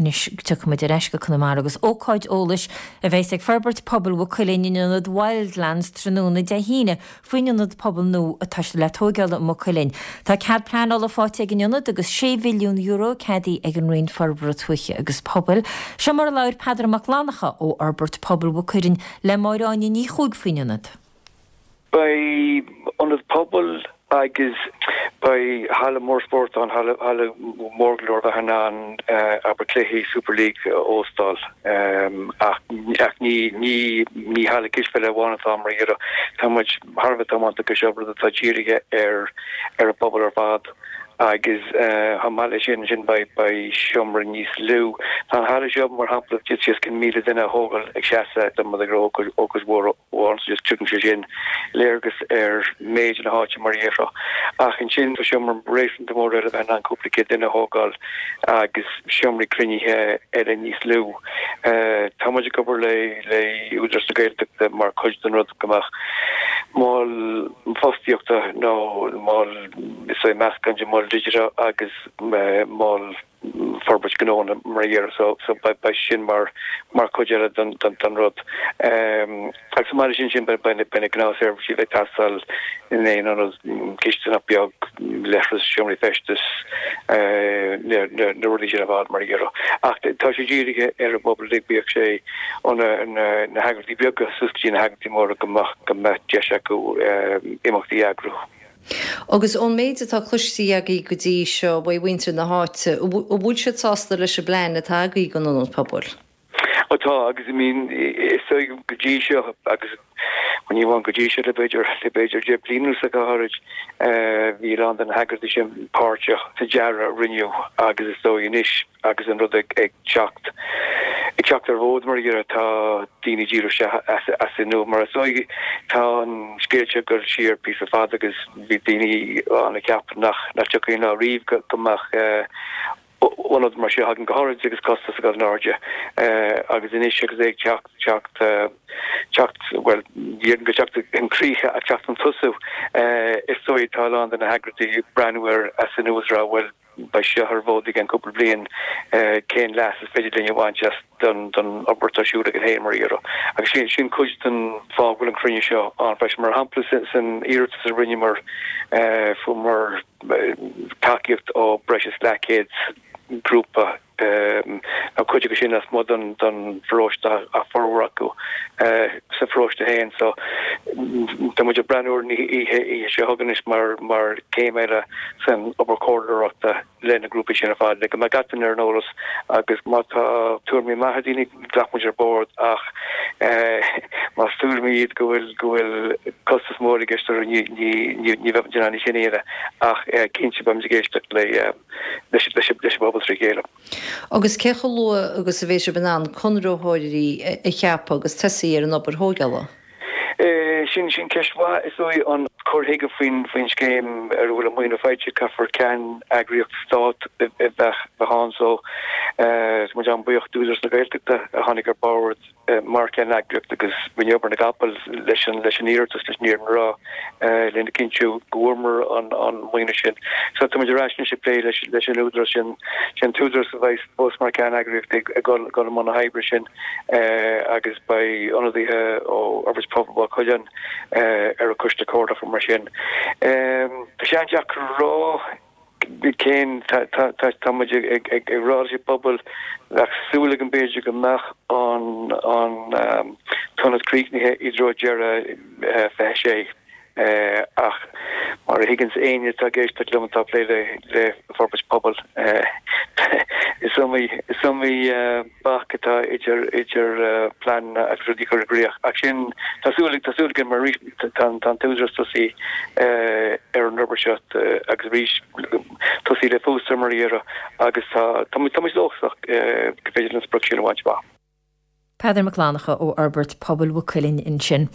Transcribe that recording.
Anois tiocfaidh muid ar ais go Conamara agus ócáid eolais a bheas ag Forbairt Pobail Mhaigh Cuilinn in Ionad Wildlands tráthnóna Dé hAoine faoin ionad pobail nua atá siad le tóigeáil i Maigh Cuilinn. Tá cead pleanála faighte ag an ionad agus €6 mhilliún ceadaithe ag an Roinn Forbartha Tuaithe agus Pobail. Seo mar a labhair Peadar Mac Fhlannchadha ó Fhorbairt Pobail Mhaigh Cuilinn le Máire Áine Ní Chuaig faoin ionad. Beidh ionad pobail agus beidh halla mór spóirt ann, halla mór go leor a bheith in ann abair cluichí Super League a óstáil. Ach ní ní halla cispheile amháin atá ann mar a déarfá. Tá muid thar a bheith tiomanta go seo rud atá dírithe ar ar an bpobal ar fad agus chomh maith leis sin ansin beidh beidh seomra níos lú. Tá an halla seo mar shampla d'fhéadfaí os cionn 1,000 duine a thógáil ag seasamh dá mba ag ócáid mhór amháin so just tugann sé sin léargas ar méid na háite mar a déarfá. Ach ansin tá seomra réasúnta mór eile a bheith in ann cúpla céad duine a thógáil agus seomraí cruinnithe eile níos lú. Tá muid ag obair le le Údarás na Gaeltachta mar chuid den rud go mbeadh mol fostaíochta nó mol is é meascán de mol digiteach agus mol forbairt gnó mar a déarfá so so beidh sin mar mar chuid eile den den rud. Agus chomh maith leis sin sin beidh beidh na gnáthsheirbhísí a bheidh ag teastáil in aon ionad, cisteanach beag, leithreas, seomraí feistis, na na na rudaí sin ar fad mar a déarfá. Ach tá sé dírithe ar an bpobal uilig, bíodh sé ó na na na heagraíochtaí beaga suas go dtí na heagraíochtaí móra go mbeadh go mbeadh deis acu imeachtaí a eagrú. Agus ón méid atá cloiste agaibh go dtí seo uaidh mhuintir na háite, an bhfuil siad sásta leis an bplean atá agaibh don ionad pobail? Ó tá, agus I mean is dóigh go dtí seo, agus ní amháin go dtí seo, le b'fhéidir, le b'fhéidir 10 bliana anuas go háirid, bhí a lán de na heagraíochtaí sin páirteach sa dearadh a rinneadh agus is dóigh anois, Agus an rud ag teacht ag teacht ar an bhfód mar a déarfá, tá daoine ag díriú isteach as an nua. Mar is dóigh, tá an scéal seo ag dul siar píosa fada agus bhí daoine ann a cheap nach dtiocfaidh an lá riamh go mbeadh ionad mar seo againn go háirid agus costas ag dul in airde. Agus anois agus é ag teacht teacht teacht, bhuel, ní déarfainn go teacht chun críche ach teacht chun tosú, is dóigh tá a lán de na heagraíochtaí ag breathnú air as an nua is ag rá, bhuel, Beidh seo ar an bhfód i gceann cúpla bliain, cén leas is féidir linn a bhaint as don obair atá ar siúl againn féin mar a déarfá. Agus sin sin cuid den fáth go bhfuil an cruinniú seo ann freisin. Mar shampla san iarratas a rinneamar fuaireamar tacaíocht ó breis is leathchéad grúpa Tá cuid acu sin lasmuigh den pharóiste ach formhór acu sa pharóiste féin. So tá muid ag breathnú ar an oíche seo chugainn anois mar mar céim eile san obair chomhairleoireachta le na grúpaí sin ar fad le go mbeidh gach duine ar an eolas agus má tá tuairimí maithe ag daoine glacfaidh muid ar bord ach más tuairimí iad go bhfuil go bhfuil costas mór i gceist orthu ní ní ní bheidh muid in ann é sin a dhéanamh ach cinnte beidh muid ag éisteacht le leis an bpobal trí chéile. Agus cé chomh luath agus a bheidh sibh in ann conraitheoirí a cheapadh agus tosaí ar an obair thóigeála? Sin sin ceist mhaith. Is dóigh an cur chuige faoin faoin scéim ar a bhfuil an maoiniú faighte, caithfear ceanneagraíocht stáit a bheith ann so tá muid an-bhuíoch d'Údarás na Gaeltachta a tháinig ar bord mar cheanneagraíocht agus rinne obair na gcapall leis an leis an iarratas, leis an fhírinne a rá, lena chinntiú go bhfuaireamar an an maoiniú sin. So tá muid ar ais anois ag plé leis leis an údarás sin, sé an t-údarás a bheidh fós mar cheanneagraíocht ag ag dul dul i mbun na hoibre sin agus beidh ionadaithe ó Fhorbairt Pobail Mhaigh Cuilinn ar an choiste comhairleach mar sin. Tá sé an-deacair a rá. Cén, tá muid ag rá leis an bpobal, bheadh súil agam b'fhéidir go mbeadh an t-ionad críochnaithe i dtreo deireadh 26 ach mar a thuigeanns éinne atá ag éisteacht liom atá ag plé le forbairt pobail, is iomaí, is iomaí bac atá idir idir pleananna agus rudaí a chur i gcrích. Ach sin, tá súil, tá súil againn mar arís tá an t-údarás tosaithe ar an obair seo agus arís tosaithe le fústar mar a déarfá agus tá tá muid tá muid dóchasach go féidir linn an sprioc sin a bhaint amach. Peadar Mac Fhlannchadha ó Fhorbairt Pobail Mhaigh Cuilinn ansin.